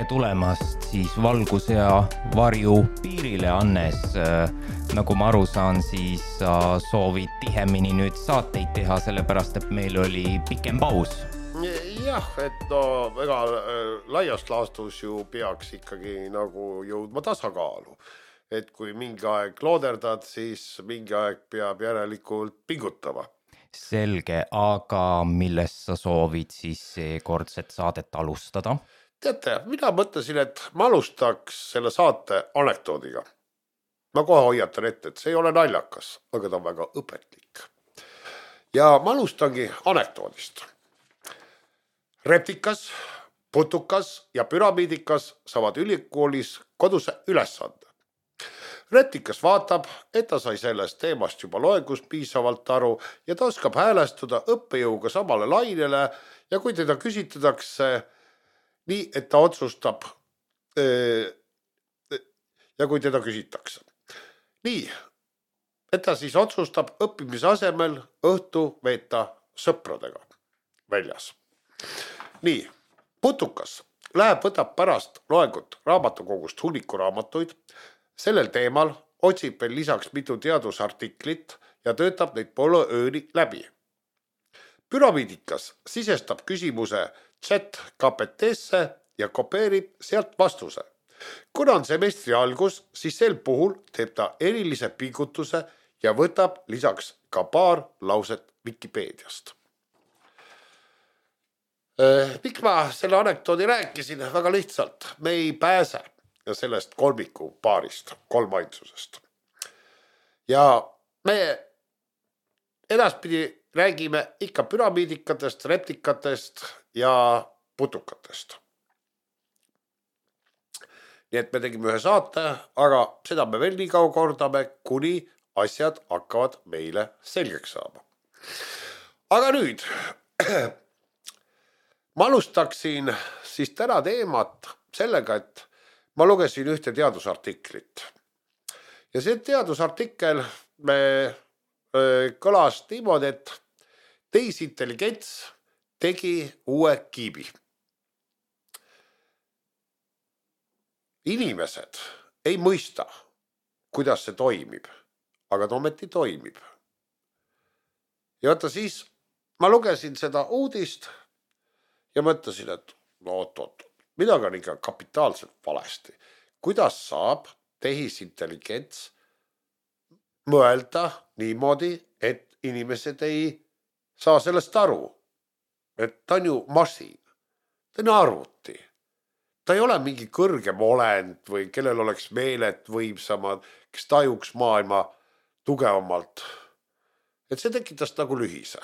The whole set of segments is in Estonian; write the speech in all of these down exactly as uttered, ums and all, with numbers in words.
tulemast siis valguse ja varju piirile, Hannes. Nagu ma aru saan, siis sa soovid tihemini nüüd saateid teha, sellepärast et meil oli pikem paus. Jah, et no väga laiast laastus ju peaks ikkagi nagu jõudma tasakaalu. Et kui mingi aeg looderdad, siis mingi aeg peab järelikult pingutama. Selge, aga millest sa soovid siis seekordset saadet alustada? Teate, mina mõtlesin, et ma alustaks selle saate anekdoodiga. Ma kohe hoiatan ette, et see ei ole naljakas, aga ta on väga õpetlik. Ja ma alustangi anekdoodist. Reptikas, putukas ja püramiidikas saavad ülikoolis koduse ülesande. Reptikas vaatab, et ta sai sellest teemast juba loengus piisavalt aru ja ta oskab häälestuda õppejõuga samale lainele ja kui teda küsitletakse nii, et ta otsustab ja kui teda küsitakse. Nii, et ta siis otsustab õppimise asemel õhtu veeta sõpradega väljas. Nii, putukas läheb võtab pärast loengut raamatukogust hunnikuraamatuid. Sellel teemal otsib veel lisaks mitu teadusartiklit ja töötab neid poole ööni läbi. Püramiidikas sisestab küsimuse chat G P T-sse ja kopeerib sealt vastuse. Kuna on semestri algus, siis sel puhul teeb ta erilise pingutuse ja võtab lisaks ka paar lauset Wikipeediast. Miks ma selle anekdoodi rääkisin? Väga lihtsalt, me ei pääse ja sellest kolmiku paarist, kolmainsusest. Ja me edaspidi räägime ikka püramiidikatest, reptikatest ja putukatest. Nii et me tegime ühe saate, aga seda me veel nii kaua kordame, kuni asjad hakkavad meile selgeks saama. Aga nüüd, ma alustaksin siis täna teemat sellega, et ma lugesin ühte teadusartiklit. Ja see teadusartikkel me öö, kõlas niimoodi, et tehisintelligents tegi uue kiibi. Inimesed ei mõista, kuidas see toimib, aga ta ometi toimib. Ja vaata siis, ma lugesin seda uudist ja mõtlesin, et no oot-oot. Midagi on ikka kapitaalselt valesti. Kuidas saab tehisintelligents mõelda niimoodi, et inimesed ei saa sellest aru? Et ta on ju masin, ta on arvuti. Ta ei ole mingi kõrgem olend või kellel oleks meeled võimsamad, kes tajuks maailma tugevamalt. Et see tekitas nagu lühise.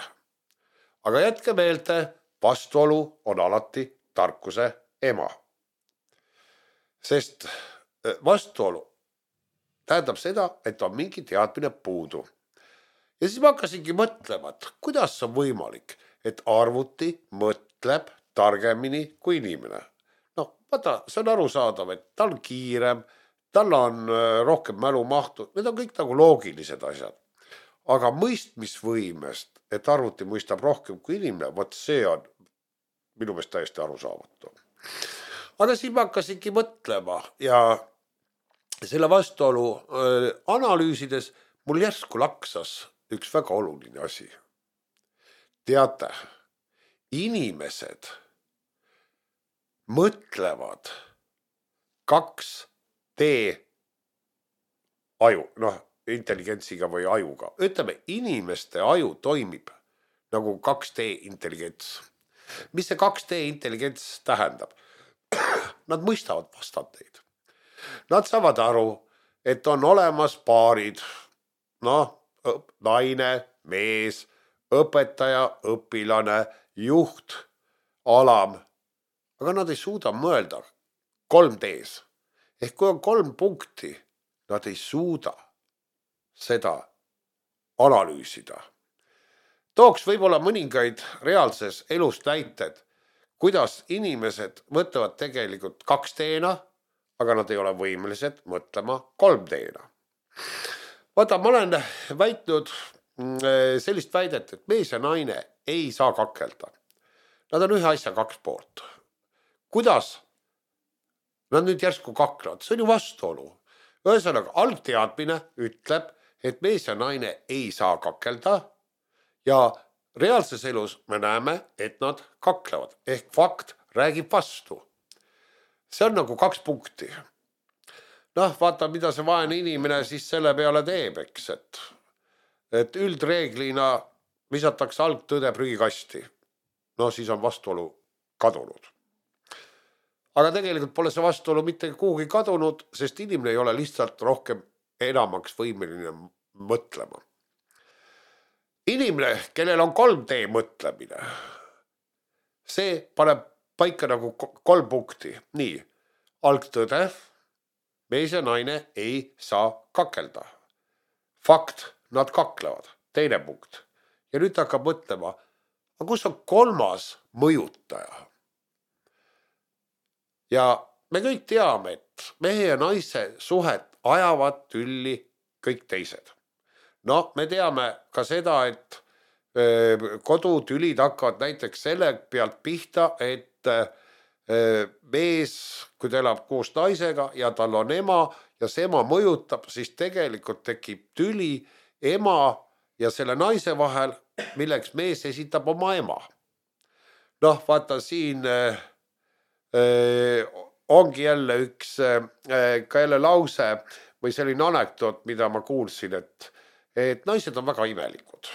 Aga jätke meelde, vastuolu on alati tarkuse ema. Sest vastuolu tähendab seda, et on mingi teadmine puudu. Ja siis ma hakkasingi mõtlema, et kuidas on võimalik, et arvuti mõtleb targemini kui inimene. No, vaata, see on arusaadav, et tal on kiirem, tal on rohkem mälumahtu, need on kõik nagu loogilised asjad. Aga mõistmisvõimest, et arvuti mõistab rohkem kui inimene, võt see on minu meelest täiesti arusaamatu. Aga siis ma hakkasingi mõtlema ja selle vastuolu äh, analüüsides mul järsku laksas üks väga oluline asi. Teate, inimesed mõtlevad kaks D aju, noh, intelligentsiga või ajuga. Ütleme, inimeste aju toimib nagu kaks D intelligents. Mis see kaks D intelligents tähendab? Nad mõistavad vastandeid. Nad saavad aru, et on olemas paarid, noh, naine, mees, õpetaja, õpilane, juht, alam. Aga nad ei suuda mõelda kolm D-s. Ehk kui on kolm punkti, nad ei suuda seda analüüsida. Tooks võib-olla mõningaid reaalses elust näited, kuidas inimesed mõtlevad tegelikult kaks D-na, aga nad ei ole võimelised mõtlema kolm D-na. Vaata, ma olen väitnud sellist väidet, et mees ja naine ei saa kakelda. Nad on ühe asja kaks poolt. Kuidas Nad nüüd järsku kaklevad, see on ju vastuolu. Ühesõnaga, algteadmine ütleb, et mees ja naine ei saa kakelda ja reaalses elus me näeme, et nad kaklevad ehk fakt räägib vastu. See on nagu kaks punkti. Noh, vaata, mida see vaene inimene siis selle peale teeb, eks, et, et üldreeglina visatakse algtõde prügikasti. No siis on vastuolu kadunud. Aga tegelikult pole see vastuolu mitte kuhugi kadunud, sest inimene ei ole lihtsalt rohkem enamaks võimeline mõtlema. Inimene, kellel on kolm D mõtlemine, see paneb paika nagu kolm punkti. Nii, algtõde, mees ja naine ei saa kakelda. Fakt, nad kaklevad. Teine punkt. Ja nüüd hakkab mõtlema, aga kus on kolmas mõjutaja? Ja me kõik teame, et mehe ja naise suhet ajavad tülli kõik teised. No, me teame ka seda, et kodutülid hakkavad näiteks selle pealt pihta, et mees, kui ta elab koos naisega ja tal on ema ja see ema mõjutab, siis tegelikult tekib tüli ema ja selle naise vahel, milleks mees esitab oma ema. Noh, vaata siin ongi jälle üks ka jälle lause või selline anekdoot, mida ma kuulsin, et, et naised on väga imelikud.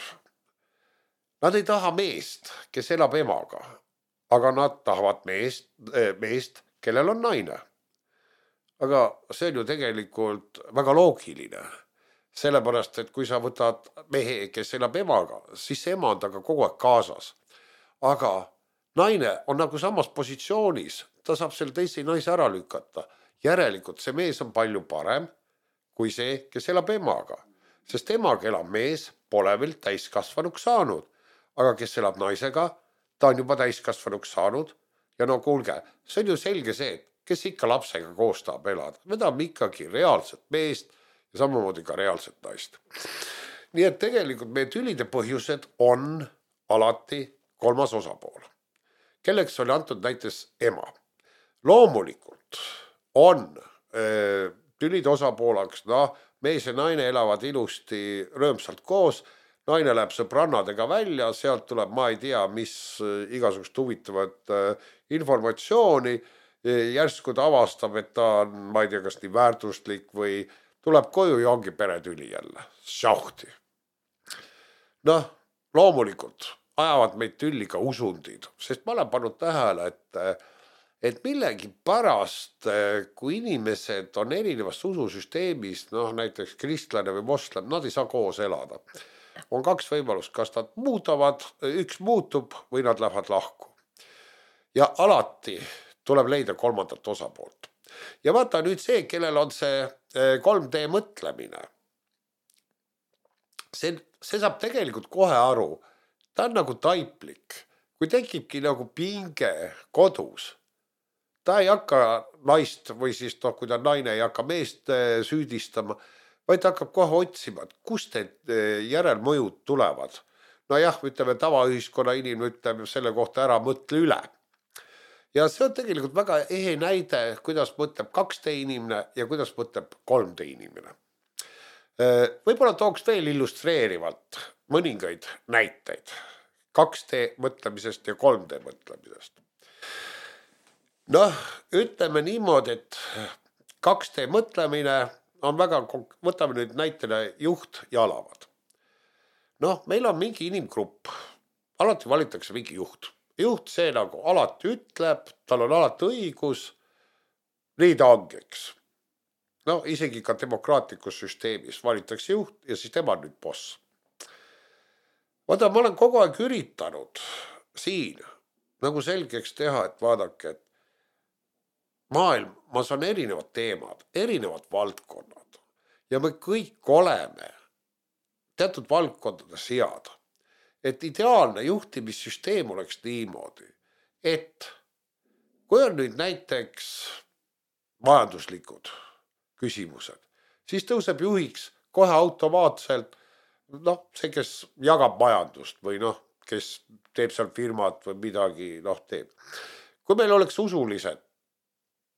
Nad ei taha meest, kes elab emaga, aga nad tahavad meest, meest, kellel on naine. Aga see on ju tegelikult väga loogiline, sellepärast, et kui sa võtad mehe, kes elab emaga, siis see ema on taga kogu aeg kaasas. Aga naine on nagu samas positsioonis, ta saab selle teise naise ära lükata. Järelikult see mees on palju parem kui see, kes elab emaga. Sest emaga elab mees, pole veel täiskasvanuks saanud. Aga kes elab naisega, ta on juba täiskasvanuks saanud. Ja no kuulge, see on ju selge see, et kes ikka lapsega koos tahab elada. Me tahame ikkagi reaalset meest ja samamoodi ka reaalset naist. Nii et tegelikult meie tülide põhjused on alati kolmas osapool, kelleks oli antud näiteks ema. Loomulikult on öö, tülide osapoolaks, noh, mees ja naine elavad ilusti rõõmsalt koos, naine läheb sõbrannadega välja, sealt tuleb, ma ei tea, mis igasugust huvitavat öö, informatsiooni, järsku ta avastab, et ta on, ma ei tea, kas nii väärtuslik või tuleb koju ja ongi peretüli jälle, šauhti. Noh, loomulikult ajavad meid tülli ka usundid, sest ma olen pannud tähele, et, et millegi pärast, kui inimesed on erinevast ususüsteemist, noh näiteks kristlane või moslem, nad ei saa koos elada. On kaks võimalust, kas nad muudavad, üks muutub või nad lähevad lahku. Ja alati tuleb leida kolmandat osapoolt. Ja vaata nüüd see, kellel on see kolm D mõtlemine. See, see saab tegelikult kohe aru. Ta on nagu taiplik. Kui tekibki nagu pinge kodus, ta ei hakka naist või siis noh, kui ta naine ei hakka meest süüdistama, vaid ta hakkab kohe otsima, et kust need järelmõjud tulevad. No jah, ütleme tavaühiskonna inimene ütleb selle kohta ära mõtle üle. Ja see on tegelikult väga ehe näide, kuidas mõtleb kaks D inimene ja kuidas mõtleb kolm D inimene. Võib-olla tooks veel illustreerivalt mõningaid näiteid kaks D mõtlemisest ja kolm D mõtlemisest. Noh, ütleme niimoodi, et kaks D mõtlemine on väga, võtame nüüd näitele juht ja alavad. Noh, meil on mingi inimgrupp, alati valitakse mingi juht. Juht see nagu alati ütleb, tal on alati õigus, nii ta ongi, eks. No isegi ka demokraatlikus süsteemis valitakse juht ja siis tema nüüd boss. Vaata, ma olen kogu aeg üritanud siin nagu selgeks teha, et vaadake, et maailmas on erinevad teemad, erinevad valdkonnad ja me kõik oleme teatud valdkondades head. Et ideaalne juhtimissüsteem oleks niimoodi, et kui on nüüd näiteks majanduslikud küsimused, siis tõuseb juhiks kohe automaatselt noh, see, kes jagab majandust või noh, kes teeb seal firmat või midagi noh teeb. Kui meil oleks usulised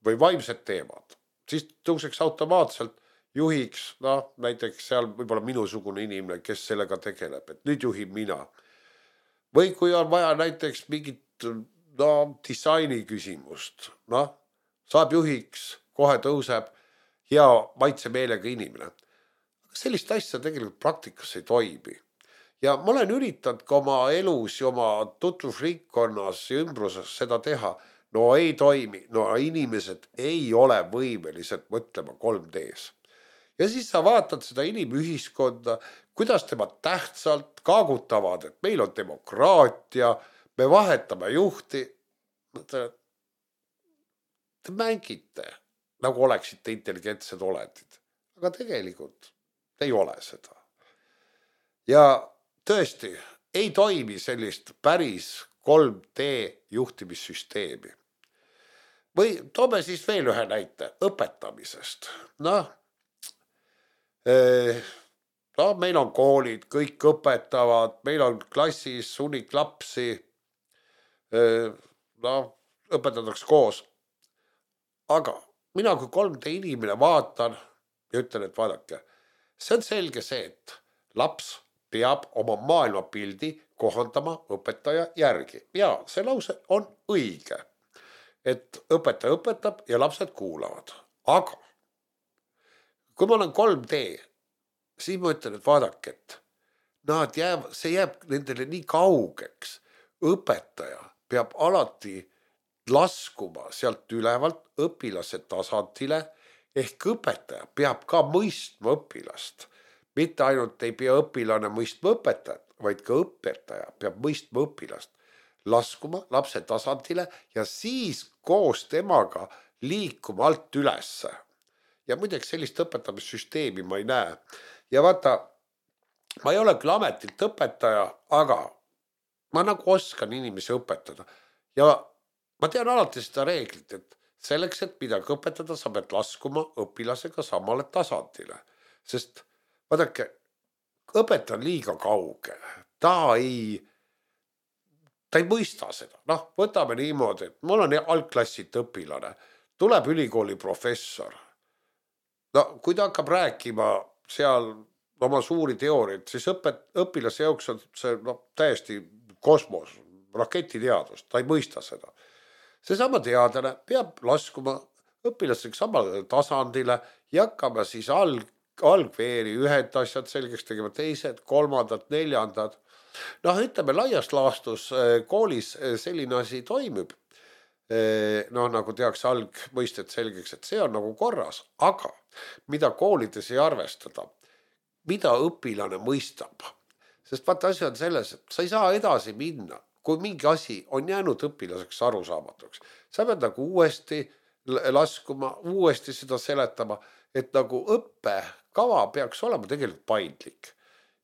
või vaimsed teemad, siis tõuseks automaatselt juhiks, noh näiteks seal võib-olla minusugune inimene, kes sellega tegeleb, et nüüd juhib mina. Või kui on vaja näiteks mingit no, disaini küsimust, noh, saab juhiks, kohe tõuseb hea maitsemeelega inimene. Sellist asja tegelikult praktikas ei toimi. Ja ma olen üritanud ka oma elus ja oma tutvusringkonnas ja ümbruses seda teha. No ei toimi, no inimesed ei ole võimelised mõtlema kolm D-s. Ja siis sa vaatad seda inimühiskonda, kuidas tema tähtsalt kaagutavad, et meil on demokraatia, me vahetame juhti. Te mängite, nagu oleksite intelligentsed olendid, aga tegelikult ei ole seda. Ja tõesti, ei toimi sellist päris kolm D juhtimissüsteemi. Või toome siis veel ühe näite õpetamisest. Noh, no, meil on koolid, kõik õpetavad, meil on klassis hunnik lapsi, no, õpetatakse koos. Aga mina kui kolm D inimene vaatan ja ütlen, et vaadake, see on selge see, et laps peab oma maailmapildi kohandama õpetaja järgi. Ja see lause on õige, et õpetaja õpetab ja lapsed kuulavad. Aga kui ma olen kolm D, siis ma ütlen, et vaadake, et nad jääb, see jääb nendele nii kaugeks. Õpetaja peab alati laskuma sealt ülevalt õpilase tasandile, ehk õpetaja peab ka mõistma õpilast. Mitte ainult ei pea õpilane mõistma õpetajat, vaid ka õpetaja peab mõistma õpilast, laskuma lapse tasandile ja siis koos temaga liikuma alt ülesse. Ja muideks sellist õpetamissüsteemi ma ei näe. Ja vaata, ma ei ole küll ametilt õpetaja, aga ma nagu oskan inimesi õpetada. Ja ma tean alati seda reeglit, et selleks, et midagi õpetada, sa pead laskuma õpilasega samale tasandile. Sest vaadake, õpetaja on liiga kauge. Ta ei, ta ei mõista seda. Noh, võtame niimoodi, et mul on algklassit õpilane. Tuleb ülikooli professor. No, kui ta hakkab rääkima seal oma suuri teooriaid, siis õpet, õpilase jaoks on see no, täiesti kosmos, raketiteadus, ta ei mõista seda. Seesama teadlane peab laskuma õpilasega samale tasandile ja hakkama siis alg, algveeri ühed asjad selgeks tegema, teised, kolmandad, neljandad. Noh, ütleme, laias laastus koolis selline asi toimib. No nagu tehakse algmõisted selgeks, et see on nagu korras, aga mida koolides ei arvestada, mida õpilane mõistab. Sest vaata asi on selles, et sa ei saa edasi minna, kui mingi asi on jäänud õpilaseks arusaamatuks. Sa pead nagu uuesti laskuma, uuesti seda seletama, et nagu õppekava peaks olema tegelikult paindlik.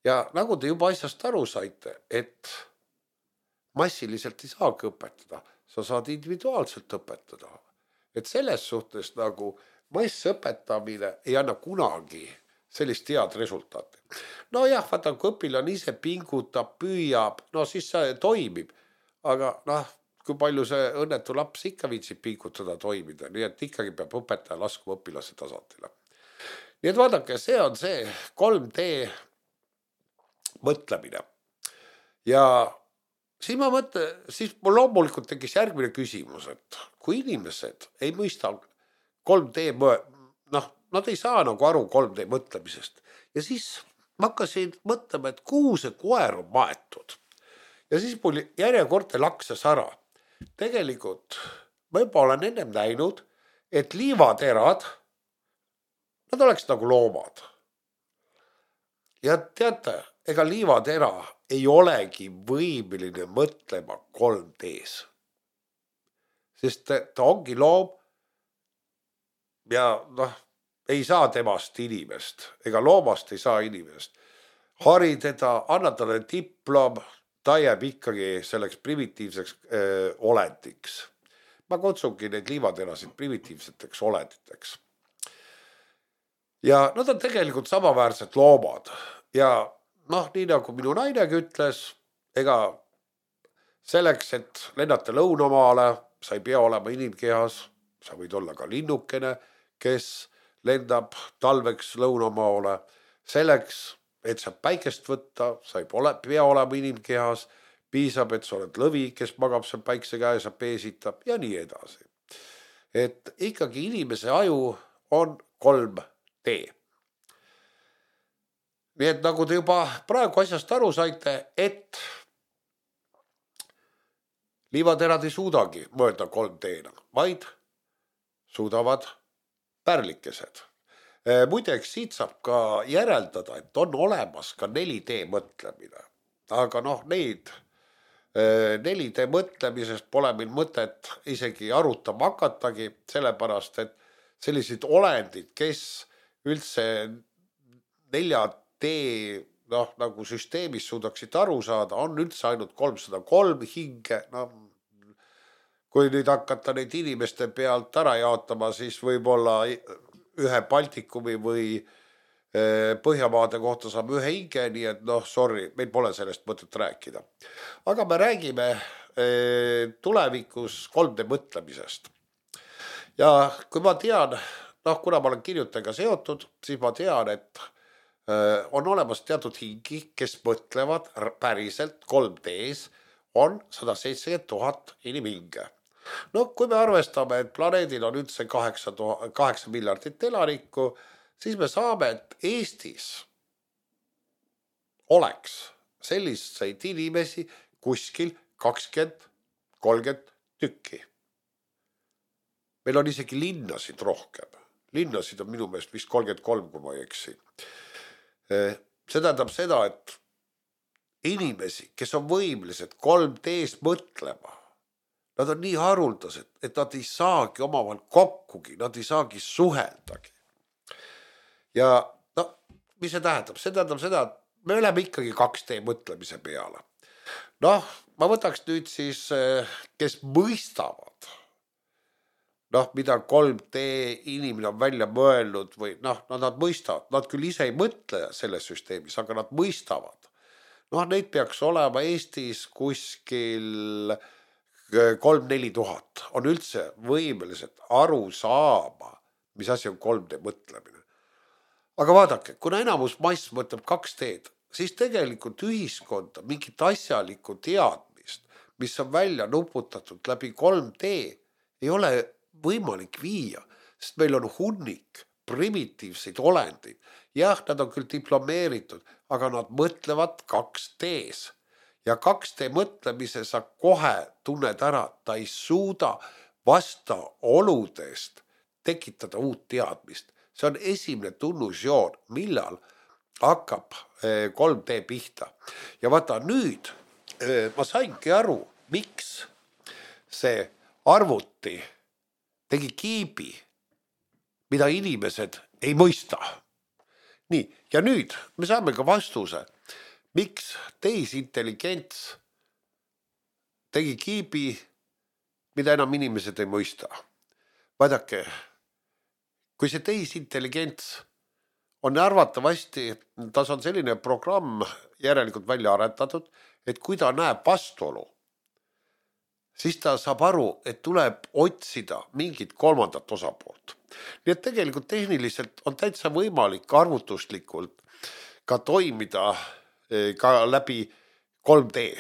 Ja nagu te juba asjast aru saite, et massiliselt ei saagi õpetada, sa saad individuaalselt õpetada. Et selles suhtes nagu massõpetamine ei anna kunagi sellist head resultaati. No jah, vaata, kui õpilane ise pingutab, püüab, no siis see toimib. Aga noh, kui palju see õnnetu laps ikka viitsib pingutada toimida, nii et ikkagi peab õpetaja laskuma õpilase tasandile. Nii et vaadake, see on see kolm D mõtlemine. Ja siis ma mõtlen, siis mul loomulikult tekkis järgmine küsimus, et kui inimesed ei mõista kolm D, noh, nad ei saa nagu aru kolm D mõtlemisest. Ja siis ma hakkasin mõtlema, et kuhu see koer on maetud. Ja siis mul järjekordne lakses ära. Tegelikult ma juba olen ennem näinud, et liivaterad, nad oleks nagu loomad. Ja teate, ega liivatera ei olegi võimeline mõtlema kolm D-s. Sest ta ongi loom ja noh, ei saa temast inimest, ega loomast ei saa inimest. Hari teda, anna talle diplom, ta jääb ikkagi selleks primitiivseks öö, olendiks. Ma kutsungi neid liivaterasid primitiivseteks olenditeks. Ja nad on tegelikult samaväärsed loomad ja noh, nii nagu minu nainegi ütles, ega selleks, et lennata lõunamaale, sa ei pea olema inimkehas, sa võid olla ka linnukene, kes lendab talveks lõunamaale. Selleks, et sa päikest võtta, sa ei pole, pea olema inimkehas, piisab, et sa oled lõvi, kes magab seal päikse käes ja peesitab ja nii edasi. Et ikkagi inimese aju on kolm D. Nii et nagu te juba praegu asjast aru saite, et liivaterad ei suudagi mõelda kolm D-na, vaid suudavad pärlikesed. Muideks siit saab ka järeldada, et on olemas ka neli D mõtlemine. Aga noh, neid neli D mõtlemisest pole meil mõtet isegi arutama hakatagi, sellepärast, et sellised olendid, kes üldse nelja D noh, nagu süsteemis suudaksid aru saada, on üldse ainult kolmsada kolm hinge. No, kui nüüd hakata neid inimeste pealt ära jaotama, siis võib-olla ühe Baltikumi või Põhjamaade kohta saab ühe hinge, nii et noh, sorry, meil pole sellest mõtet rääkida. Aga me räägime tulevikus kolm D mõtlemisest. Ja kui ma tean, noh, kuna ma olen kirjutajaga seotud, siis ma tean, et on olemas teatud hingi, kes mõtlevad päriselt kolm D-s, on sada seitsekümmend tuhat inimhinge. No kui me arvestame, et planeedil on üldse kaheksa miljardit elanikku, siis me saame, et Eestis oleks selliseid inimesi kuskil kakskümmend kolmkümmend tükki. Meil on isegi linnasid rohkem. Linnasid on minu meelest vist kolmkümmend kolm, kui ma ei eksi. See tähendab seda, et inimesi, kes on võimelised kolm D-s mõtlema, nad on nii haruldased, et nad ei saagi omavahel kokkugi, nad ei saagi suheldagi. Ja no, mis see tähendab? See tähendab seda, et me oleme ikkagi kaks D mõtlemise peale. Noh, ma võtaks nüüd siis, kes mõistavad, noh, mida kolm D inimene on välja mõelnud või noh, nad mõistavad, nad küll ise ei mõtle selles süsteemis, aga nad mõistavad. Noh, neid peaks olema Eestis kuskil kolm-neli tuhat, on üldse võimelised aru saama, mis asi on kolm D mõtlemine. Aga vaadake, kuna enamus mass mõtleb kaks D-d, siis tegelikult ühiskonda mingit asjalikku teadmist, mis on välja nuputatud läbi kolm D, ei ole võimalik viia, sest meil on hunnik primitiivseid olendeid. Jah, nad on küll diplomeeritud, aga nad mõtlevad kaks D-s. Ja kaks D mõtlemise sa kohe tunned ära, ta ei suuda vasta oludest tekitada uut teadmist. See on esimene tunnusjoon, millal hakkab kolm D pihta. Ja vaata nüüd, ma saingi aru, miks see arvuti tegi kiibi, mida inimesed ei mõista. Nii, ja nüüd me saame ka vastuse, miks tehisintelligents tegi kiibi, mida enam inimesed ei mõista. Vaadake, kui see tehisintelligents on arvatavasti, tas on selline programm järelikult välja aretatud, et kui ta näeb vastuolu, siis ta saab aru, et tuleb otsida mingit kolmandat osapoolt. Nii et tegelikult tehniliselt on täitsa võimalik arvutuslikult ka toimida ka läbi kolm D.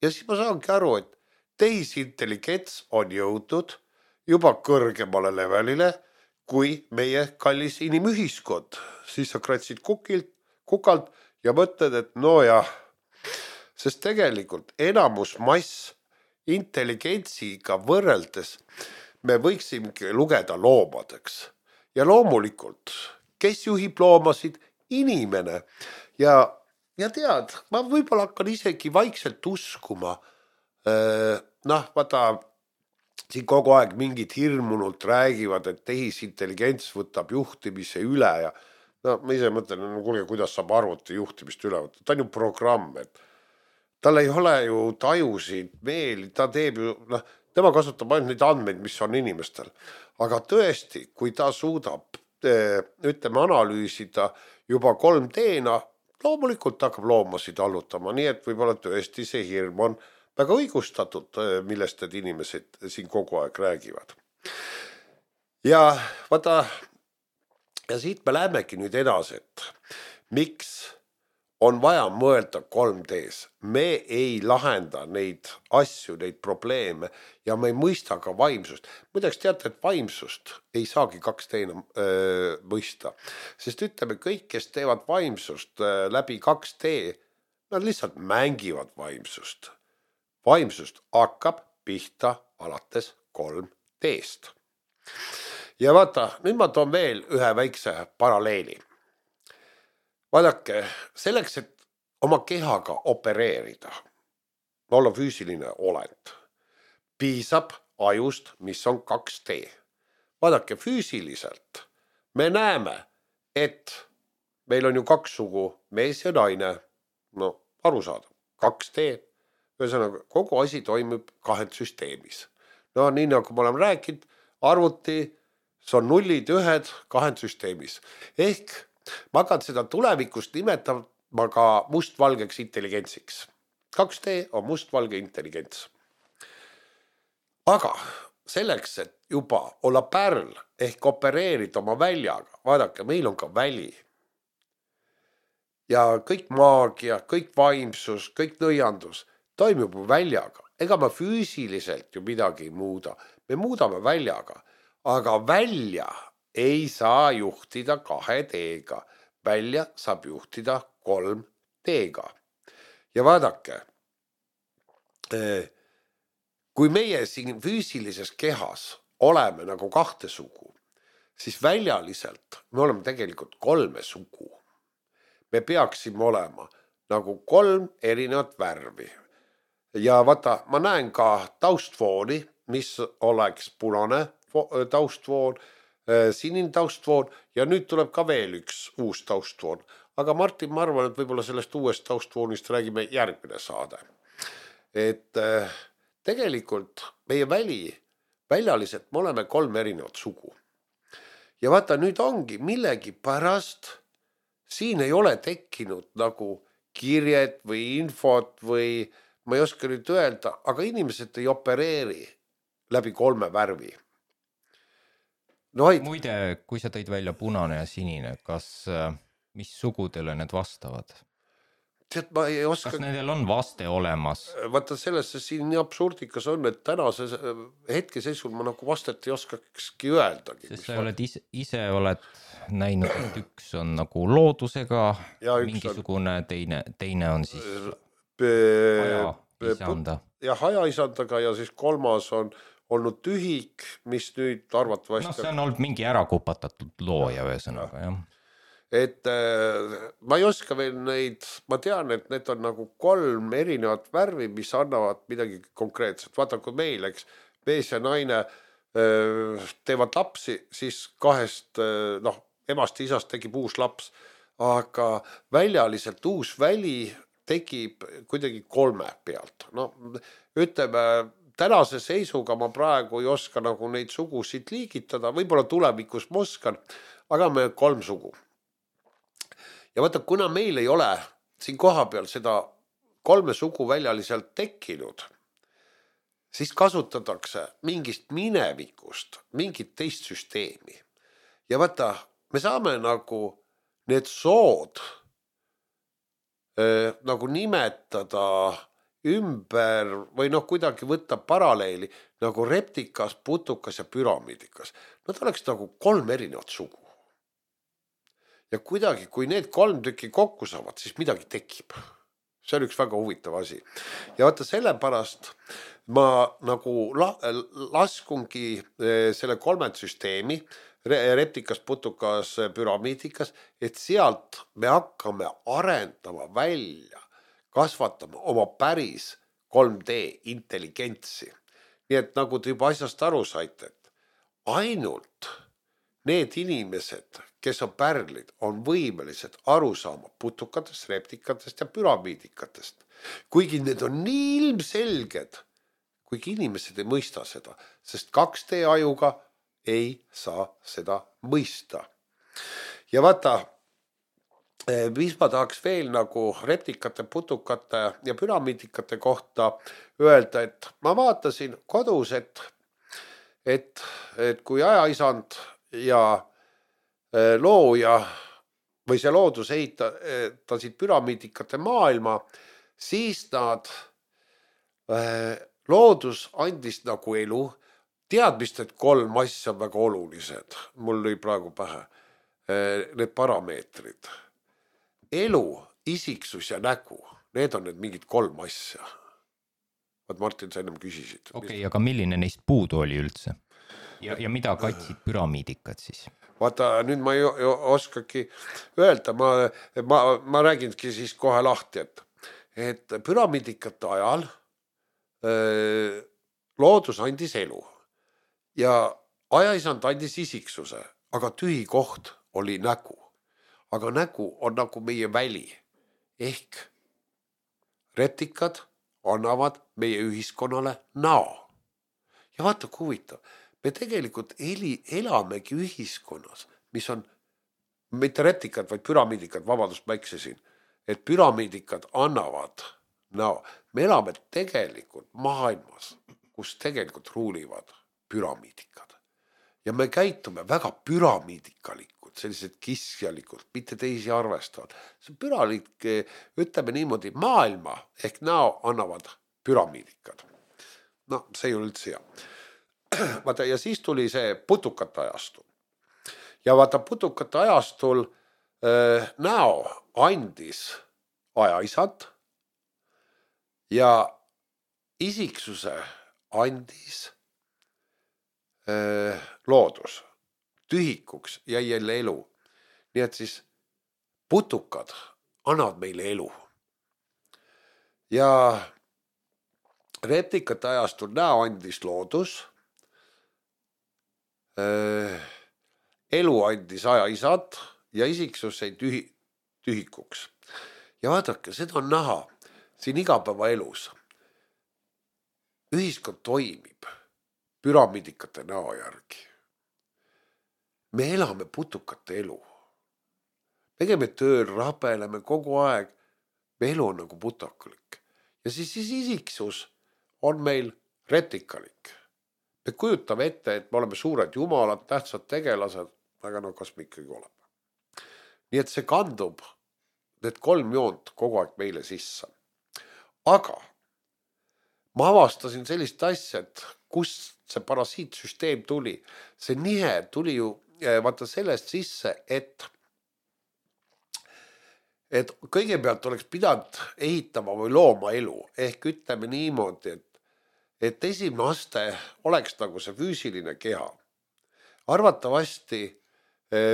Ja siis ma saangi aru, et tehisintelligents on jõudnud juba kõrgemale levelile kui meie kallis inimühiskond. Siis sa kratsid kukilt, kukalt ja mõtled, et no jah, sest tegelikult enamus mass intelligentsiga võrreldes me võiksimegi lugeda loomadeks. Ja loomulikult, kes juhib loomasid? Inimene. Ja, ja tead, ma võib-olla hakkan isegi vaikselt uskuma. Noh, vaata, siin kogu aeg mingid hirmunult räägivad, et tehisintelligents võtab juhtimise üle ja no ma ise mõtlen, no kuulge, kuidas saab arvuti juhtimist üle võtta. Ta on ju programm, et tal ei ole ju tajusid, meeli, ta teeb ju, noh, tema kasutab ainult neid andmeid, mis on inimestel. Aga tõesti, kui ta suudab, ütleme, analüüsida juba kolm D-na, loomulikult hakkab loomasid allutama, nii et võib-olla tõesti see hirm on väga õigustatud, millest need inimesed siin kogu aeg räägivad. ja vaata, ja siit me lähemegi nüüd edasi, et miks on vaja mõelda kolm D-s. Me ei lahenda neid asju, neid probleeme ja me ei mõista ka vaimsust. Muideks teate, et vaimsust ei saagi kaks D-na öö, mõista. Sest ütleme, kõik, kes teevad vaimsust öö, läbi kaks D, nad lihtsalt mängivad vaimsust. Vaimsust hakkab pihta alates kolm D-st. Ja vaata, nüüd ma toon veel ühe väikse paralleeli. Vaadake, selleks, et oma kehaga opereerida, olla füüsiline olend, piisab ajust, mis on kaks D. Vaadake, füüsiliselt me näeme, et meil on ju kaks sugu, mees ja naine, no aru saada, kaks D, ühesõnaga kogu asi toimub kahed süsteemis. No nii nagu ma olen rääkinud, arvuti, see on nullid, ühed, kahed süsteemis. Ehk ma hakkan seda tulevikust nimetama ka mustvalgeks intelligentsiks. kaks D on mustvalge intelligents. Aga selleks, et juba olla pärl ehk opereerida oma väljaga, vaadake, meil on ka väli. Ja kõik maagia, kõik vaimsus, kõik nõiandus toimub väljaga. Ega ma füüsiliselt ju midagi ei muuda. Me muudame väljaga, aga välja ei saa juhtida kahe D-ga, välja saab juhtida kolm D-ga. Ja vaadake, kui meie siin füüsilises kehas oleme nagu kahte sugu, siis väljaliselt me oleme tegelikult kolme sugu. Me peaksime olema nagu kolm erinevat värvi. Ja vaata, ma näen ka taustfooni, mis oleks punane taustfoon, sinine taustfoon ja nüüd tuleb ka veel üks uus taustfoon. Aga Martin, ma arvan, et võib-olla sellest uuest taustfoonist räägime järgmine saade. Et tegelikult meie väli, väljaliselt me oleme kolm erinevat sugu. Ja vaata, nüüd ongi millegi pärast, siin ei ole tekkinud nagu kirjed või infot või ma ei oska nüüd öelda, aga inimesed ei opereeri läbi kolme värvi. No, muide, kui sa tõid välja punane ja sinine, kas, mis sugudele need vastavad? Tead, ma ei oska... Kas nendel on vaste olemas? Vaata, sellesse siin nii absurdikas on, et tänase hetkeseisul ma nagu vastet ei oskakski öeldagi. Sest sa oled ise, ise oled näinud, et üks on nagu loodusega, ja mingisugune on... teine, teine on siis haja isanda. Ja haja isandaga ja siis kolmas on olnud tühik, mis nüüd arvatavasti... No see on olnud mingi ära kupatatud looja ühesõnaga, jah. Et äh, ma ei oska veel neid, ma tean, et need on nagu kolm erinevat värvi, mis annavad midagi konkreetset. Vaata, kui meil, eks, mees ja naine äh, teevad lapsi, siis kahest, äh, noh, emast ja isast tegib uus laps, aga väljaliselt uus väli tegib kuidagi kolme pealt. No, ütleme, tänase seisuga ma praegu ei oska nagu neid sugusid liigitada, võib-olla tulevikus ma oskan, aga me kolm sugu. Ja vaata, kuna meil ei ole siin koha peal seda kolme sugu väljaliselt tekkinud, siis kasutatakse mingist minevikust, mingit teist süsteemi. Ja vaata, me saame nagu need sood äh, nagu nimetada ümber või noh, kuidagi võtta paralleeli nagu reptikas, putukas ja püramiidikas. Nad oleks nagu kolm erinevat sugu. Ja kuidagi, kui need kolm tükki kokku saavad, siis midagi tekib. See on üks väga huvitav asi. Ja vaata, sellepärast ma nagu la- laskungi selle kolmed süsteemi, reptikas, putukas, püramiidikas, et sealt me hakkame arendama välja, kasvatama oma päris kolm D intelligentsi. Nii et nagu te juba asjast aru saite, et ainult need inimesed, kes on pärlid, on võimelised aru saama putukatest, reptikatest ja püramiidikatest. Kuigi need on nii ilmselged, kuigi inimesed ei mõista seda, sest kaks D ajuga ei saa seda mõista. Ja vaata, mis ma tahaks veel nagu reptikate, putukate ja püramiidikate kohta öelda, et ma vaatasin kodus, et, et et kui ajaisand ja looja või see loodus ehitasid püramiidikate maailma, siis nad, loodus andis nagu elu, teadmist, et kolm asja on väga olulised. Mul lõi praegu pähe need parameetrid. Elu, isiksus ja nägu, need on need mingid kolm asja. Vaat Martin, sa ennem küsisid. Okei, okay, aga milline neist puudu oli üldse? Ja, ja mida katsid püramiidikad siis? Vaata, nüüd ma ei oskagi öelda, ma, ma, ma räägingi siis kohe lahti, et, et püramiidikate ajal öö, loodus andis elu ja ajaisand andis isiksuse, aga tühi koht oli nägu. Aga nägu on nagu meie väli ehk retikad annavad meie ühiskonnale näo. Ja vaata, kui huvitav. Me tegelikult eli, elamegi ühiskonnas, mis on mitte retikad, vaid püramiidikad, vabandust, ma eksisin, et püramiidikad annavad näo. Me elame tegelikult maailmas, kus tegelikult ruulivad püramiidikad. Ja me käitume väga püramiidikalikud, sellised kiskjalikud, mitte teisi arvestavad. See püramiidik, ütleme niimoodi, maailma ehk näo annavad püramiidikad. No, see ei ole üldse hea. Vaata, ja siis tuli see putukate ajastul. Ja vaata, putukate ajastul äh, näo andis ajaisad ja isiksuse andis äh, loodus. Tühikuks jäi jälle elu. Nii et siis putukad annavad meile elu. Ja reptikate ajastul näo andis loodus. Elu andis ajaisad ja isiksus sai tühi, tühikuks. Ja vaadake, seda on näha siin igapäeva elus. Ühiskond toimib püramiidikate näo järgi. Me elame putukate elu. Me käime tööl, rabeleme kogu aeg. Me elu on nagu putakalik. Ja siis, siis isiksus on meil retikalik. Me kujutame ette, et me oleme suured jumalad, tähtsad tegelased, aga no kas me ikkagi oleme. Nii et see kandub need kolm joont kogu aeg meile sisse. Aga ma avastasin sellist asja, et kust see parasiitsüsteem tuli. See nihe tuli ju vaata sellest sisse, et, et kõigepealt oleks pidanud ehitama või looma elu. Ehk ütleme niimoodi, et et esimene aste oleks nagu see füüsiline keha. Arvatavasti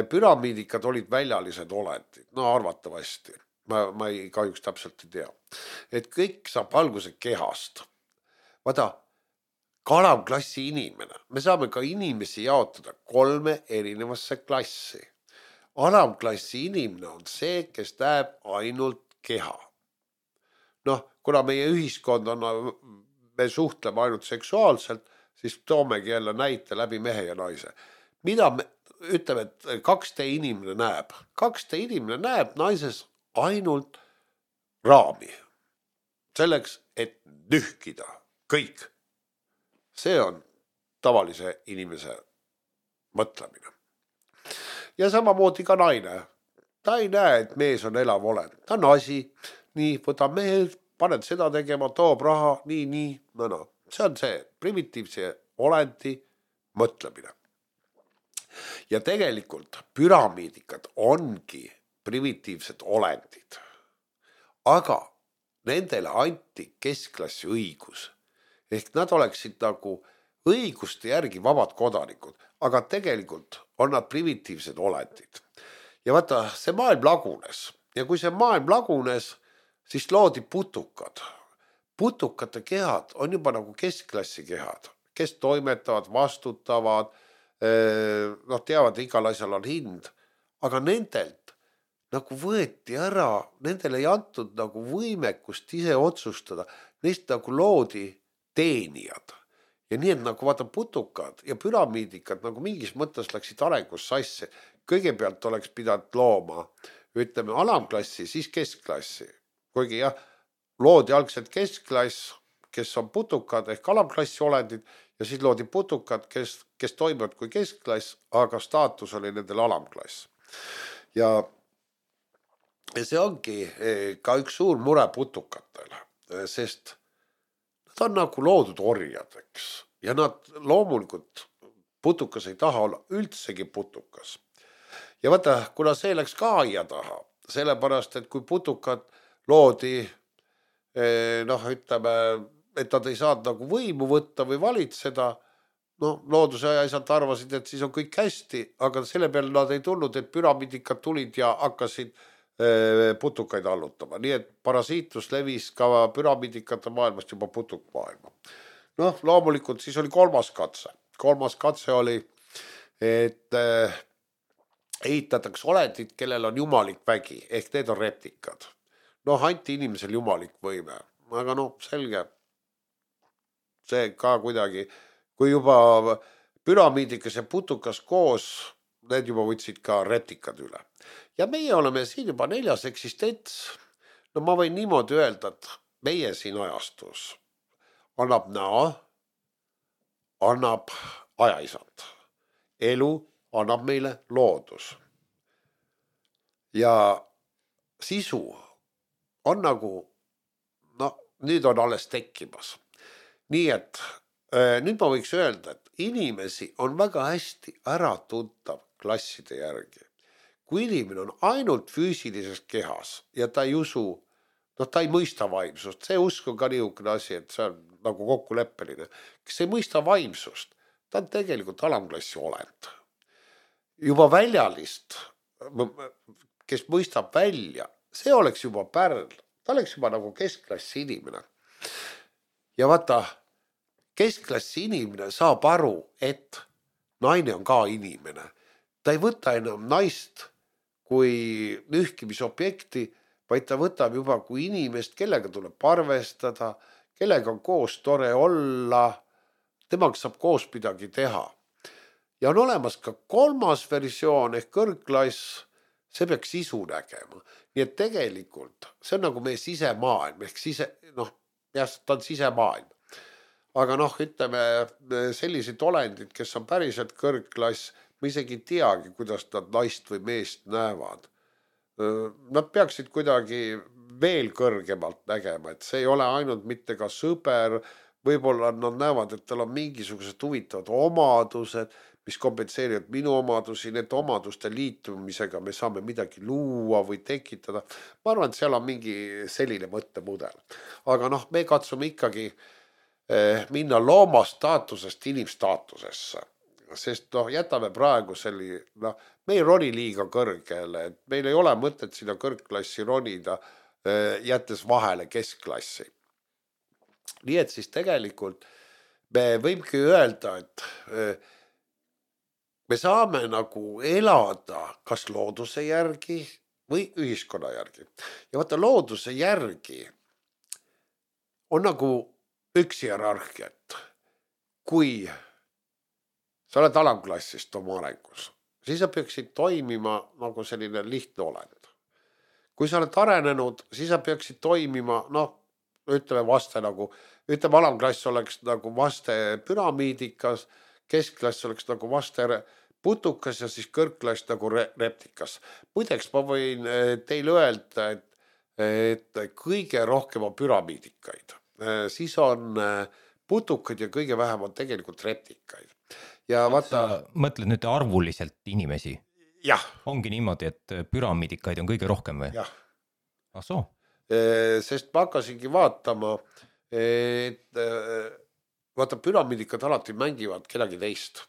püramiidikad olid väljalised olendid. No arvatavasti. Ma, ma ei kahjuks täpselt ei tea. Et kõik saab alguse kehast. Vaata, kalamklassi inimene. Me saame ka inimesi jaotada kolme erinevasse klassi. Alamklassi inimene on see, kes näeb ainult keha. Noh, kuna meie ühiskond on... me suhtleme ainult seksuaalselt, siis toomegi jälle näite läbi mehe ja naise. Mida me ütleme, et kaks D inimene näeb? kaks D inimene näeb naises ainult raami. Selleks, et nühkida kõik. See on tavalise inimese mõtlemine. Ja samamoodi ka naine. Ta ei näe, et mees on elav olend. Ta on asi, nii võta mehed, paned seda tegema, toob raha, nii, nii, no, no. See on see primitiivse olendi mõtlemine. Ja tegelikult püramiidikad ongi primitiivsed olendid. Aga nendele anti keskklassi õigus. Ehk nad oleksid nagu õiguste järgi vabad kodanikud, aga tegelikult on nad primitiivsed olendid. Ja vaata, see maailm lagunes. Ja kui see maailm lagunes, siis loodi putukad. Putukate kehad on juba nagu keskklassi kehad, kes toimetavad, vastutavad, noh, teavad, igal asjal on hind, aga nendelt nagu võeti ära, nendele ei antud nagu võimekust ise otsustada, neist nagu loodi teenijad. Ja nii, et nagu vaata putukad ja püramiidikad nagu mingis mõttes läksid arengus sassi. Kõigepealt oleks pidanud looma, ütleme, alamklassi, siis keskklassi. Kuigi jah, loodi algselt keskklass, kes on putukad ehk alamklassi olendid ja siis loodi putukad, kes, kes toimivad kui keskklass, aga staatus oli nendel alamklass. Ja, ja see ongi ka üks suur mure putukatel, sest nad on nagu loodud orjad, eks. Ja nad loomulikult putukas ei taha olla üldsegi putukas. Ja vaata, kuna see läks ka aia taha, sellepärast, et kui putukad loodi, noh, ütleme, et nad ei saanud nagu võimu võtta või valitseda, no looduse asjad arvasid, et siis on kõik hästi, aga selle peale nad ei tulnud, et püramiidikad tulid ja hakkasid putukaid allutama. Nii et parasiitlus levis ka püramiidikate maailmast juba putukmaailma. Noh, loomulikult siis oli kolmas katse. Kolmas katse oli, et ehitatakse olendid, kellel on jumalik vägi, ehk need on reptikad. Noh, anti inimesel jumalik võime, aga noh, selge, see ka kuidagi, kui juba püramiidikas ja putukas koos, need juba võtsid ka reptikad üle. Ja meie oleme siin juba neljas eksistents. No ma võin niimoodi öelda, et meie siin ajastus annab näo, annab ajaisand. Elu annab meile loodus. Ja sisu on nagu, no nüüd on alles tekkimas. Nii et nüüd ma võiks öelda, et inimesi on väga hästi ära tuntav klasside järgi. Kui inimene on ainult füüsilises kehas ja ta ei usu, no ta ei mõista vaimsust, see usk on ka niisugune asi, et see on nagu kokkuleppeline, kes ei mõista vaimsust, ta on tegelikult alamklassi olend. Juba väljalist, kes mõistab välja, see oleks juba pärl, ta oleks juba nagu keskklassi inimene. Ja vaata, keskklassi inimene saab aru, et naine on ka inimene. Ta ei võta enam naist kui nühkimisobjekti, vaid ta võtab juba kui inimest, kellega tuleb arvestada, kellega on koos tore olla, temaga saab koos midagi teha. Ja on olemas ka kolmas versioon ehk kõrgklass, see peaks sisu nägema. Nii et tegelikult see on nagu meie sisemaailm, ehk sise, noh, jah, ta on sisemaailm. Aga noh, ütleme sellised olendid, kes on päriselt kõrgklass, ma isegi teagi, kuidas nad naist või meest näevad. Nad peaksid kuidagi veel kõrgemalt nägema, et see ei ole ainult mitte ka sõber, võib-olla nad näevad, et tal on mingisugused huvitavad omadused, mis kompenseerivad minu omadusi, need omaduste liitumisega me saame midagi luua või tekitada. Ma arvan, et seal on mingi selline mõttemudel. Aga noh, me katsume ikkagi minna looma staatusest inimstaatusesse. Sest noh, jätame praegu selli, noh, me ei roni liiga kõrgele, et meil ei ole mõtet sinna kõrgklassi ronida, jättes vahele keskklassi. Nii et siis tegelikult me võimegi öelda, et me saame nagu elada kas looduse järgi või ühiskonna järgi. Ja vaata, looduse järgi on nagu üks hierarhiat. Kui sa oled alamklassist oma arengus, siis sa peaksid toimima nagu selline lihtne olend. Kui sa oled arenenud, siis sa peaksid toimima, noh, ütleme vaste nagu, ütleme alamklass oleks nagu vaste püramiidikas, keskklass oleks nagu vaste putukas ja siis kõrgklass nagu reptikas. Muideks ma võin teile öelda, et, et kõige rohkem on püramiidikaid. Siis on putukad ja kõige vähem on tegelikult reptikaid. Ja vaata... Sa mõtled nüüd arvuliselt inimesi? Jah. Ongi niimoodi, et püramiidikaid on kõige rohkem või? Jah. Ah, soo? Sest ma hakkasingi vaatama, et vaata, püramiidikad alati mängivad kedagi teist.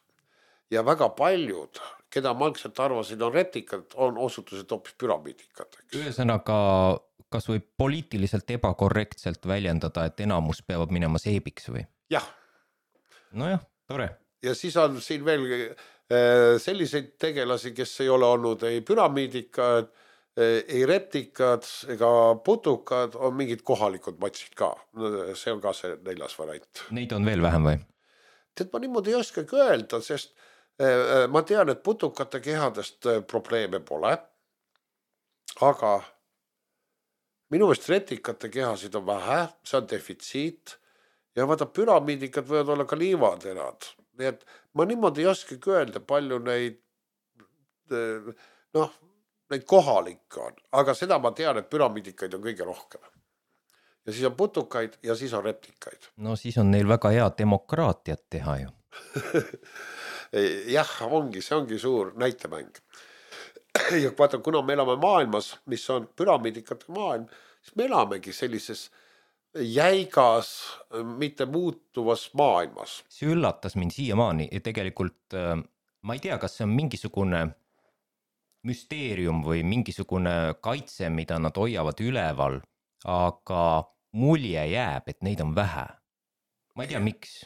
Ja väga paljud, keda ma algselt arvasin on reptikad, on osutused hoopis püramiidikad. Ühesõnaga, kas võib poliitiliselt ebakorrektselt väljendada, et enamus peavad minema seebiks või? Jah. Nojah, tore. Ja siis on siin veel selliseid tegelasi, kes ei ole olnud ei püramiidikad, ei reptikad ega putukad, on mingid kohalikud matsid ka. See on ka see neljas variant. Neid on veel vähem või? Tead, ma niimoodi ei oskagi öelda, sest ma tean, et putukate kehadest probleeme pole, aga minu meelest reptikate kehasid on vähe, see on defitsiit ja vaata, püramiidikad võivad olla ka liivaterad. Nii et ma niimoodi ei oskagi öelda, palju neid, noh, neid kohalikke on. Aga seda ma tean, et püramiidikaid on kõige rohkem. Ja siis on putukaid ja siis on replikaid. No siis on neil väga hea demokraatiat teha ju. Jah, ongi, see ongi suur näitemäng. Ja vaata, kuna me elame maailmas, mis on püramiidikate maailm, siis me elamegi sellises jäigas, mitte muutuvas maailmas. See üllatas mind siiamaani ja tegelikult ma ei tea, kas see on mingisugune müsteerium või mingisugune kaitse, mida nad hoiavad üleval, aga mulje jääb, et neid on vähe. Ma ei tea, miks.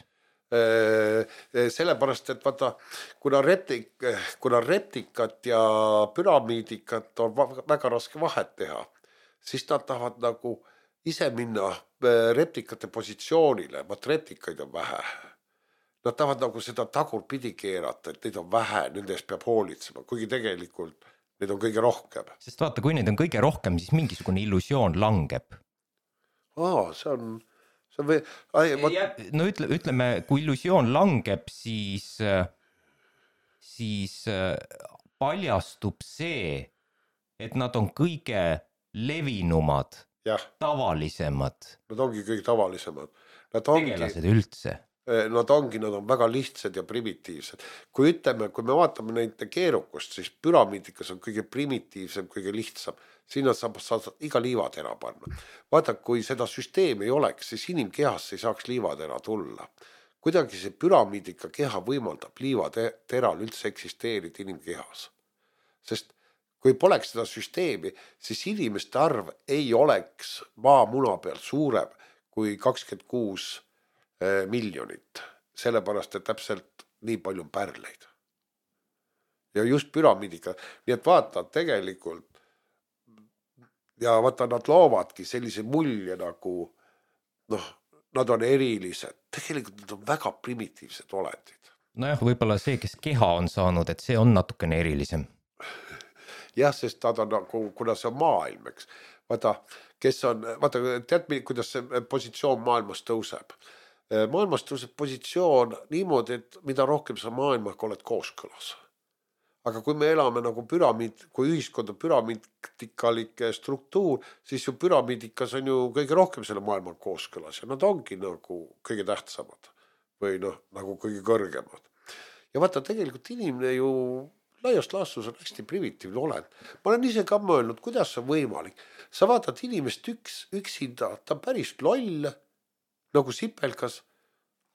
Sellepärast, et vaata, kuna, reptik, kuna reptikat ja püramiidikat on väga raske vahet teha, siis nad tahavad nagu ise minna reptikate positsioonile, vaat reptikaid on vähe. Nad tahavad nagu seda tagurpidi keerata, et neid on vähe, nende eest peab hoolitsema, kuigi tegelikult neid on kõige rohkem. Sest vaata, kui neid on kõige rohkem, siis mingisugune illusioon langeb. Aa, see on... Või, ai, ma... No ütle, ütleme, kui illusioon langeb, siis, siis paljastub see, et nad on kõige levinumad, ja. Tavalisemad. Nad ongi kõige tavalisemad. Nad ongi, tegelased üldse. Nad ongi, nad on väga lihtsad ja primitiivsed. Kui ütleme, kui me vaatame neid keerukust, siis püramiidikas on kõige primitiivsem, kõige lihtsam. Sinna saab, saab iga liivatera panna. Vaata, kui seda süsteemi ei oleks, siis inimkehas ei saaks liivatera tulla. Kuidagi see püramiidika keha võimaldab liivateral üldse eksisteerida inimkehas. Sest kui poleks seda süsteemi, siis inimeste arv ei oleks maamuna peal suurem kui kakskümmend kuus miljonit. Sellepärast, et täpselt nii palju on pärleid. Ja just püramiidika. Nii et vaata, tegelikult ja vaata, nad loovadki sellise mulje nagu, noh, nad on erilised. Tegelikult nad on väga primitiivsed olendid. Nojah, võib-olla see, kes keha on saanud, et see on natukene erilisem. Jah, sest nad on nagu, kuna see on maailm, eks. Vaata, kes on, vaata, tead, kuidas see positsioon maailmas tõuseb. Maailmas tõuseb positsioon niimoodi, et mida rohkem sa maailmaga oled kooskõlas. Aga kui me elame nagu püramiid, kui ühiskond on püramiidikalik struktuur, siis ju püramiidikas on ju kõige rohkem selle maailma kooskõlas ja nad ongi nagu kõige tähtsamad või noh, nagu kõige kõrgemad. Ja vaata, tegelikult inimene ju laiast laastus on hästi primitiivne olend. Ma olen ise ka mõelnud, kuidas see on võimalik. Sa vaatad inimest üks, üksinda, ta on päris loll, nagu sipelkas,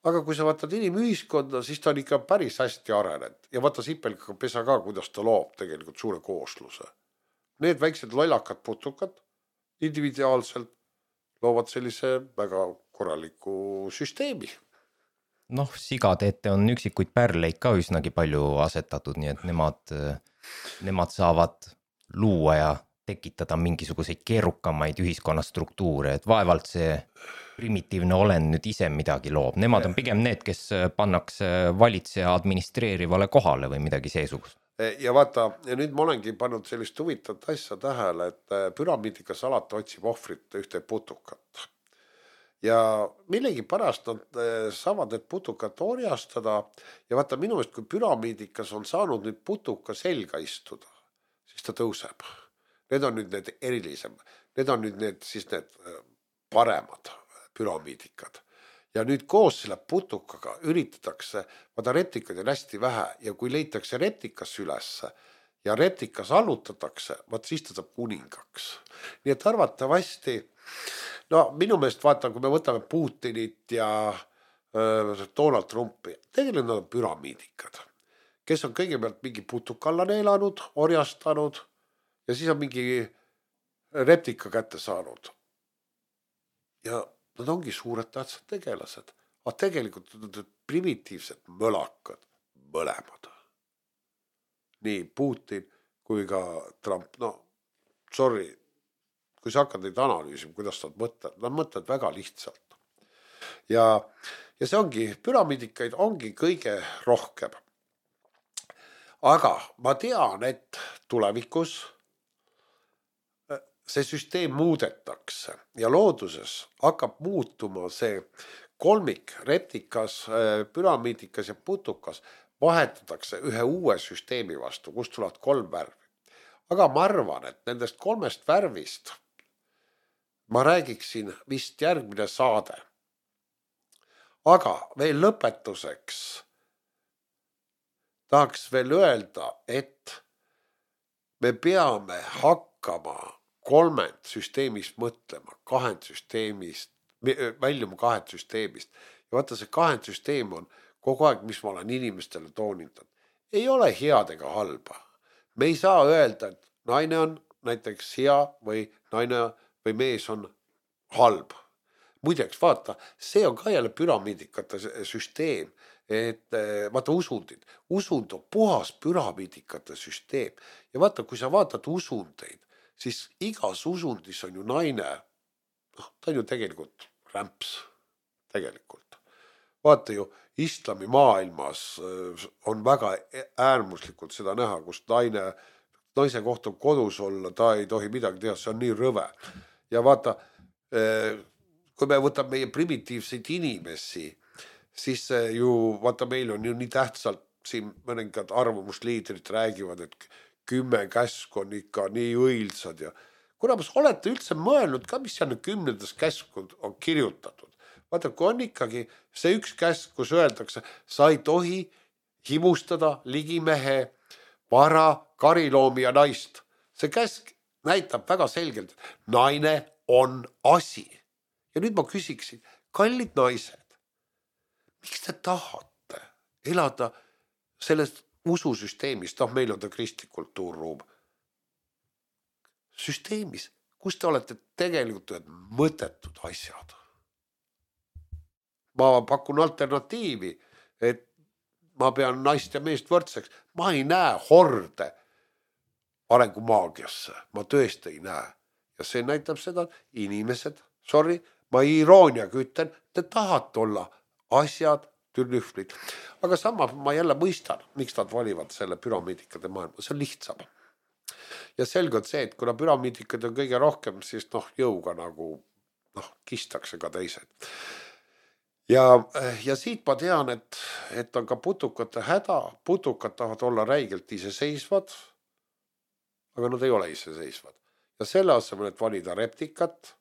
aga kui sa vaatad inimühiskonda, siis ta on ikka päris hästi arenenud. Ja vaata sipelkaga pesa ka, kuidas ta loob tegelikult suure koosluse. Need väiksed lollakad putukad individuaalselt loovad sellise väga korraliku süsteemi. Noh, sigade ette on üksikuid pärleid ka üsnagi palju asetatud, nii et nemad, nemad saavad luua ja tekitada mingisuguseid keerukamaid ühiskonnastruktuure, et vaevalt see primitiivne olend nüüd ise midagi loob. Nemad on pigem need, kes pannakse valitseja administreerivale kohale või midagi seesugust. Ja vaata, ja nüüd ma olengi pannud sellist huvitavat asja tähele, et püramiidikas alati otsib ohvrit ühte putukat. Ja millegi pärast nad saavad need putukat orjastada ja vaata minu eest, kui püramiidikas on saanud nüüd putuka selga istuda, siis ta tõuseb. Need on nüüd need erilisem, need on nüüd need, siis need paremad püramiidikad. Ja nüüd koos selle putukaga üritatakse, vaata reptikaid on hästi vähe ja kui leitakse reptikas ülesse ja reptikas allutatakse, vaat siis ta saab kuningaks. Nii et arvatavasti, no minu meelest vaata, kui me võtame Putinit ja äh, Donald Trumpi, tegelikult nad on püramiidikad, kes on kõigepealt mingi putukalla neelanud, orjastanud ja siis on mingi reptika kätte saanud. Ja nad ongi suured tähtsad tegelased, aga tegelikult nad on primitiivsed mölakad, mõlemad. Nii Putin kui ka Trump, no sorry, kui sa hakkad neid analüüsima, kuidas nad mõtlevad, nad mõtlevad väga lihtsalt. Ja, ja see ongi, püramiidikaid ongi kõige rohkem. Aga ma tean, et tulevikus see süsteem muudetakse ja looduses hakkab muutuma see kolmik, reptikas, püramiidikas ja putukas vahetatakse ühe uue süsteemi vastu, kust tulevad kolm värvi. Aga ma arvan, et nendest kolmest värvist ma räägiksin vist järgmine saade. Aga veel lõpetuseks tahaks veel öelda, et me peame hakkama kolmend süsteemist mõtlema, kahend süsteemist, väljuma kahend süsteemist. Ja vaata, see kahend süsteem on kogu aeg, mis ma olen inimestele toonitanud. Ei ole head ega halba. Me ei saa öelda, et naine on näiteks hea või naine või mees on halb. Muideks, vaata, see on ka jälle püramiidikate süsteem, et vaata usundid. Usund on puhas püramiidikate süsteem. Ja vaata, kui sa vaatad usundeid, siis igas usundis on ju naine, noh, ta on ju tegelikult rämps, tegelikult. Vaata ju, islami maailmas on väga äärmuslikult seda näha, kus naine, naise kohta kodus olla, ta ei tohi midagi teha, see on nii rõve. Ja vaata, kui me võtame meie primitiivseid inimesi, siis ju, vaata, meil on ju nii tähtsalt, siin mõningad arvamusliidrid räägivad, et kümme käsk on ikka nii õilsad ja kuna ma olete üldse mõelnud ka, mis seal kümnendas käskud on kirjutatud. Vaata, kui on ikkagi see üks käsk, kus öeldakse, sa ei tohi himustada ligimehe, vara, kariloomi ja naist. See käsk näitab väga selgelt, et naine on asi. Ja nüüd ma küsiksin, kallid naised, miks te tahate elada sellest ususüsteemist, noh, meil on ta kristlik kultuurruum, süsteemis, kus te olete tegelikult ühed mõttetud asjad. Ma pakun alternatiivi, et ma pean naist ja meest võrdseks. Ma ei näe horde arengumaagiasse, ma tõesti ei näe. Ja see näitab seda, et inimesed, sorry, ma irooniaga ütlen, te tahate olla asjad, türnühvlid. Aga sama ma jälle mõistan, miks nad valivad selle püramiidikade maailma. See on lihtsam. Ja selge on see, et kuna püramiidikad on kõige rohkem, siis noh, jõuga nagu noh, kistakse ka teised. Ja, ja siit ma tean, et, et on ka putukate häda. Putukad tahavad olla räigelt iseseisvad, aga nad ei ole iseseisvad. Ja selle asemel, et valida reptikat,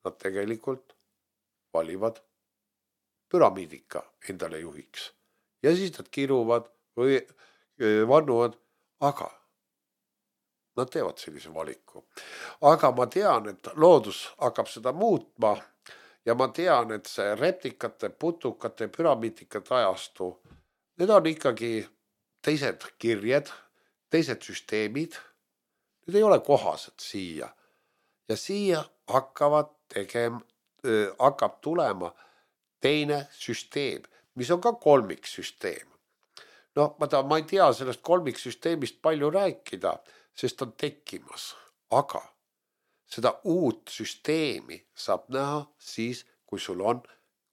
nad tegelikult valivad püramiidika endale juhiks. Ja siis nad kiruvad või vannuvad, aga nad teevad sellise valiku. Aga ma tean, et loodus hakkab seda muutma ja ma tean, et see reptikate, putukate, püramiidikate ajastu, need on ikkagi teised kirjed, teised süsteemid, need ei ole kohased siia. Ja siia hakkavad tegema, hakkab tulema teine süsteem, mis on ka kolmiksüsteem. No ma, ta, ma ei tea sellest kolmiksüsteemist palju rääkida, sest on tekkimas, aga seda uut süsteemi saab näha siis, kui sul on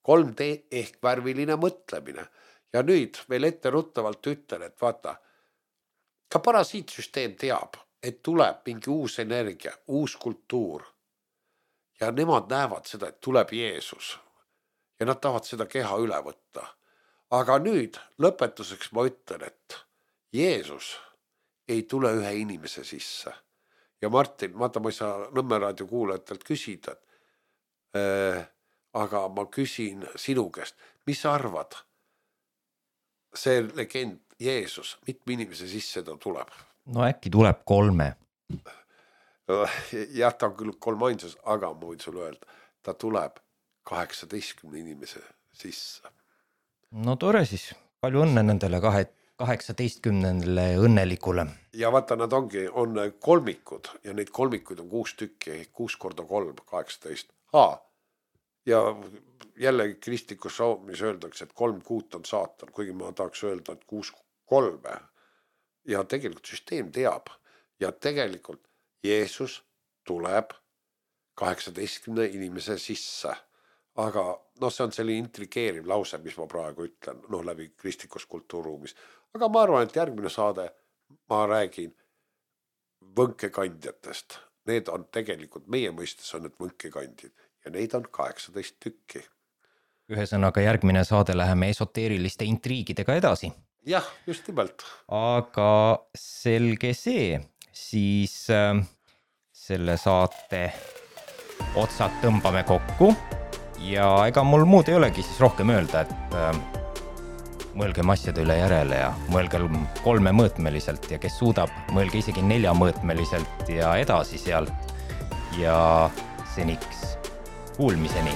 kolm D ehk värviline mõtlemine. Ja nüüd veel etteruttavalt ütlen, et vaata, ka parasiitsüsteem teab, et tuleb mingi uus energia, uus kultuur. Ja nemad näevad seda, et tuleb Jeesus. Ja nad tahavad seda keha üle võtta. Aga nüüd lõpetuseks ma ütlen, et Jeesus ei tule ühe inimese sisse. Ja Martin, vaata, ma ei saa Nõmme raadio kuulajatelt küsida, äh, aga ma küsin sinu käest, mis sa arvad? See legend Jeesus, mitme inimese sisse ta tuleb? No äkki tuleb kolme. Jah, ta on küll kolm ainsas, aga ma võin sulle öelda, ta tuleb kaheksateistkümne inimese sisse. No tore siis, palju õnne nendele kahe, kaheksateistkümnendale õnnelikule. Ja vaata, nad ongi, on kolmikud ja neid kolmikuid on kuus tükki, kuus korda kolm, kaheksateist. Haa, ja jälle kristlikus raumis öeldakse, et kolm kuut on saatan, kuigi ma tahaks öelda, et kuus kolme. Ja tegelikult süsteem teab ja tegelikult Jeesus tuleb kaheksateistkümne inimese sisse. Aga noh, see on selline intrigeeriv lause, mis ma praegu ütlen, noh, läbi kristlikus kultuurruumis. Aga ma arvan, et järgmine saade ma räägin võnkekandjatest. Need on tegelikult, meie mõistes on need võnkekandjid ja neid on kaheksateist tükki. ühesõnaga järgmine saade läheme esoteeriliste intriigidega edasi. Jah, just nimelt. Aga selge see, siis äh, selle saate otsad tõmbame kokku ja ega mul muud ei olegi siis rohkem öelda, et äh, mõelgem asjade üle järele ja mõelgem kolmemõõtmeliselt ja kes suudab, mõelge isegi neljamõõtmeliselt ja edasi sealt ja seniks kuulmiseni.